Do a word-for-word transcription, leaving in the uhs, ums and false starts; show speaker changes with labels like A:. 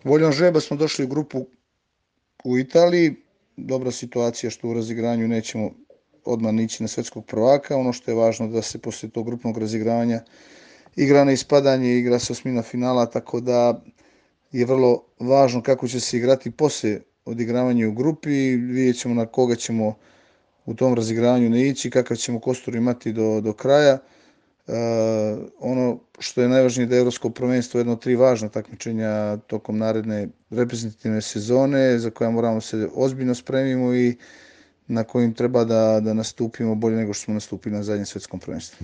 A: Voljom žreba smo došli u grupu u Italiji. Dobra situacija što u razigranju nećemo odmah ići na svetskog prvaka. Ono što je važno da se poslije tog grupnog razigravanja igra na ispadanje, igra se osmina finala, tako da je vrlo važno kako će se igrati poslije odigravanja u grupi. Vidjet ćemo na koga ćemo u tom razigravanju ne ići, kakav ćemo kostur imati do, do kraja. Uh, ono što je najvažnije da je Evropsko prvenstvo jedno od tri važna takmičenja tokom naredne reprezentativne sezone za koja moramo se ozbiljno spremimo i na kojim treba da, da nastupimo bolje nego što smo nastupili na zadnjem svetskom prvenstvu.